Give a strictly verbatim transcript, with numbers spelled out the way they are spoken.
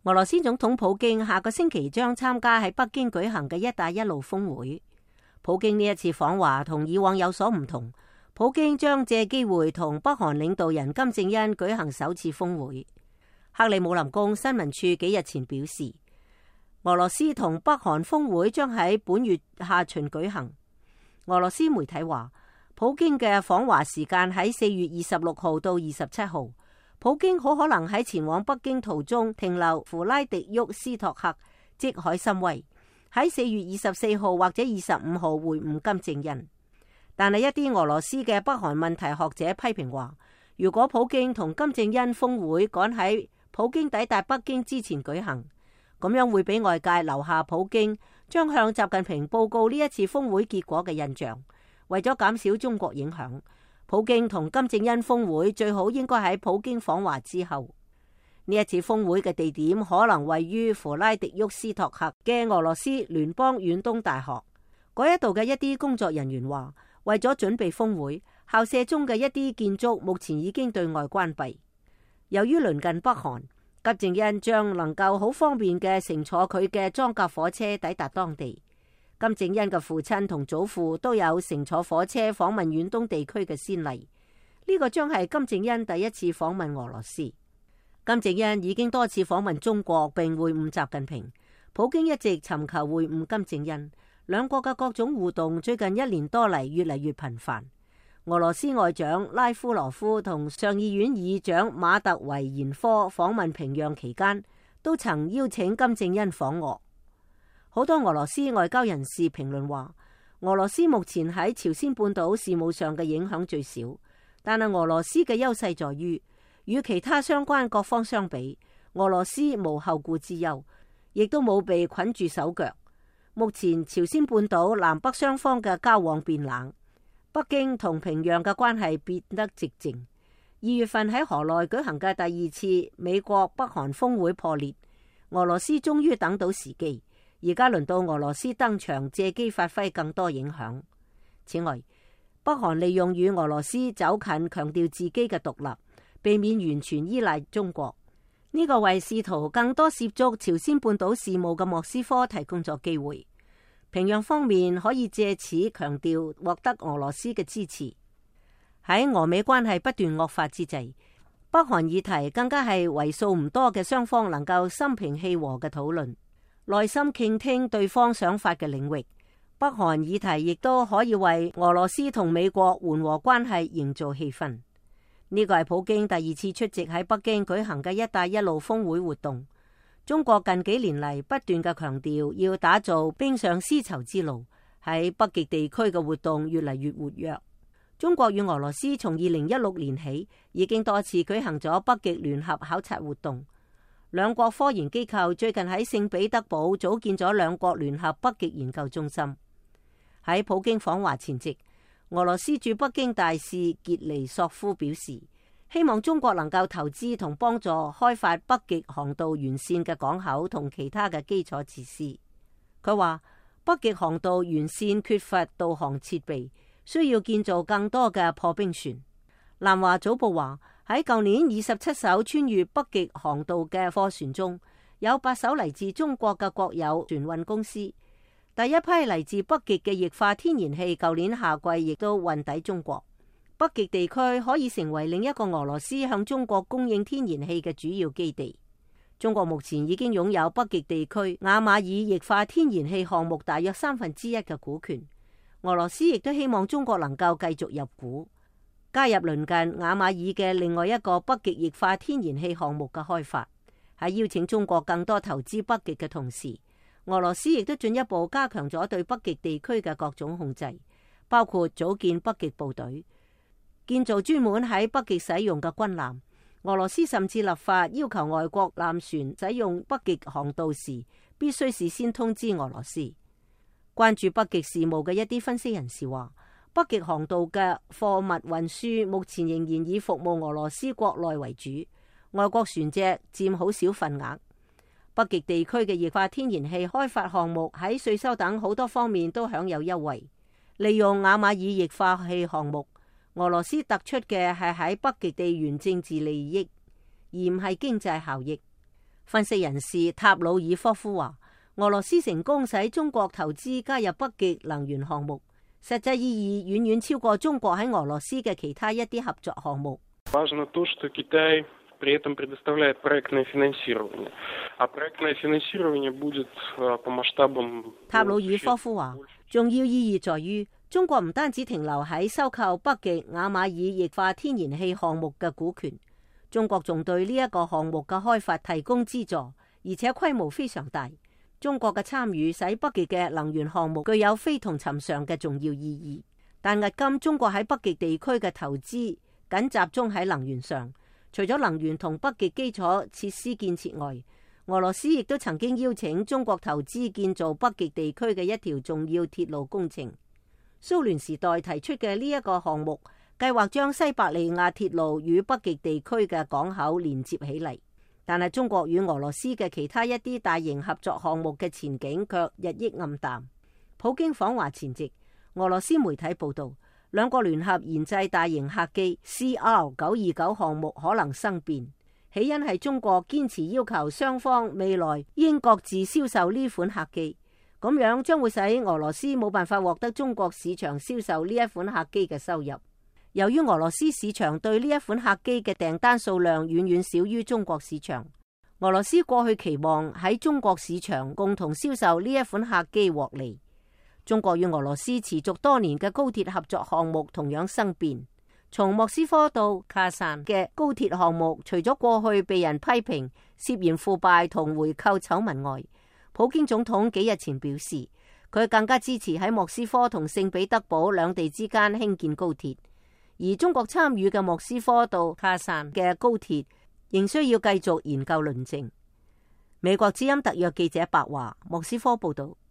俄羅斯總統普京下個星期將參加喺北京舉行嘅一帶一路峰會。普京呢一次訪華同以往有所唔同，普京將借機會同北韓領導人金正恩舉行首次峰會。克里姆林宮新聞處幾日前表示，俄羅斯同北韓峰會將喺本月下旬舉行。俄羅斯媒體話，普京嘅訪華時間喺四月二十六號到二十七號。普京好可能喺前往北京途中停留弗拉迪沃斯托克，即海參崴，喺四月二十四號或者二十五號會晤金正恩。但係一啲俄羅斯嘅北韓問題學者批評話，如果普京同金正恩峰會趕喺普京抵達北京之前舉行，咁樣會俾外界留下普京將向習近平報告呢一次峰會結果嘅印象。為咗減少中國影響，普京同金正恩峰會最好應該喺普京訪華之後。呢一次峰會嘅地點可能位於弗拉迪沃斯托克嘅俄羅斯聯邦遠東大學。嗰一度嘅一啲工作人員話，為咗準備峰會，校舍中嘅一啲建築目前已經對外關閉。由於鄰近北韓，金正恩將能夠好方便嘅乘坐佢嘅裝甲火車抵達當地。金正恩嘅父親同祖父都有乘坐火車訪問遠東地區嘅先例，呢個將係金正恩第一次訪問俄羅斯。金正恩已經多次訪問中國並會晤習近平，普京一直尋求會晤金正恩，兩國嘅各種互動最近一年多嚟越嚟越頻繁。俄羅斯外長拉夫羅夫同上議院議長馬特維延科訪問平壤期間，都曾邀請金正恩訪俄。好多俄羅斯外交人士評論話，俄羅斯目前喺朝鮮半島事務上嘅影響最少，但係俄羅斯嘅優勢在於，與其他相關各方相比，俄羅斯無後顧之憂，亦都冇被捆住手腳。目前朝鮮半島南北雙方嘅交往變冷，北京同平壤嘅關係變得寂靜。二月份喺河內舉行嘅第二次美國北韓峰會破裂，俄羅斯終於等到時機。而家輪到俄羅斯登場，借機發揮更多影響。此外，北韓利用與俄羅斯走近，強調自己嘅獨立，避免完全依賴中國。呢個為試圖更多涉足朝鮮半島事務嘅莫斯科提供咗機會。平壤方面可以借此強調獲得俄羅斯嘅支持。喺俄美關係不斷惡化之際，北韓議題更加係為數唔多嘅雙方能夠心平氣和嘅討論，耐心傾聽對方想法嘅領域。北韓議題亦都可以為俄羅斯同美國緩和關係營造氣氛。呢個係普京第二次出席喺北京舉行嘅一帶一路峰會活動。中國近幾年嚟不斷嘅強調要打造冰上絲綢之路，喺北極地區嘅活動越嚟越活躍。中國與俄羅斯從二零一六年起已經多次舉行咗北極聯合考察活動。兩國科研機構最近喺聖彼得堡組建咗兩國聯合北極研究中心。喺普京訪華前夕，俄羅斯駐北京大使傑尼索夫表示，希望中國能夠投資同幫助開發北極航道沿線嘅港口同其他嘅基礎設施。佢話北極航道沿線缺乏導航設備，需要建造更多嘅破冰船。南華早報話，喺舊年二十七艘穿越北極航道嘅貨船中，有八艘嚟自中國嘅國有船運公司。第一批嚟自北極嘅液化天然氣，舊年夏季亦都運抵中國。北極地區可以成為另一個俄羅斯向中國供應天然氣嘅主要基地。中國目前已經擁有北極地區雅馬爾液化天然氣項目大約三分之一嘅股權。俄羅斯亦都希望中國能夠繼續入股，加入鄰近雅馬爾嘅另外一個北極液化天然氣項目嘅開發。喺邀請中國更多投資北極嘅同時，俄羅斯亦都進一步加強咗對北極地區嘅各種控制，包括組建北極部隊、建造專門喺北極使用嘅軍艦。俄羅斯甚至立法要求外國艦船使用北極航道時，必須事先通知俄羅斯。關注北極事務嘅一啲分析人士話，北極航道嘅貨物運輸目前仍然以服務俄羅斯國內為主，外國船隻佔好少份額。北極地區嘅液化天然氣開發項目喺稅收等好多方面都享有優惠。利用雅馬爾液化氣項目，俄羅斯突出嘅係喺北極地緣政治利益，而唔係經濟效益。分析人士塔魯爾科夫話，俄羅斯成功使中國投資加入北極能源項目，實際意義遠遠超過中國喺俄羅斯嘅其他一啲合作項目。塔魯爾科夫話，重要意義在於中國唔單止停留喺收購北極亞馬爾液化天然氣項目嘅股權，中國仲對呢一個項目嘅開發提供資助，而且規模非常大。中國嘅參與使北極嘅能源項目具有非同尋常嘅重要意義。但迄今中國喺北極地區嘅投資僅集中喺能源上，除咗能源同北極基礎設施建設外，俄羅斯亦都曾經邀請中國投資建造北極地區嘅一條重要鐵路工程。蘇聯時代提出嘅呢一個項目，計劃將西伯利亞鐵路與北極地區嘅港口連接起嚟。但係中國與俄羅斯嘅其他一啲大型合作項目嘅前景卻日益暗淡。普京訪華前夕，俄羅斯媒體報道，兩國聯合研製大型客機 C R 九二九項目可能生變，起因係中國堅持要求雙方未來應各自銷售呢款客機，咁樣將會使俄羅斯冇辦法獲得中國市場銷售呢一款客機嘅收入。由於俄羅斯市場對呢一款客機嘅訂單數量遠遠少於中國市場，俄羅斯過去期望喺中國市場共同銷售呢一款客機獲利。中國與俄羅斯持續多年嘅高鐵合作項目同樣生變。從莫斯科到卡薩嘅高鐵項目，除咗過去被人批評涉嫌腐敗同回扣醜聞外，普京總統幾日前表示，佢更加支持喺莫斯科同聖彼得堡兩地之間興建高鐵。而中國參與嘅莫斯科到卡薩嘅高鐵仍需要繼續研究論證。美國之音特約記者白華莫斯科報道。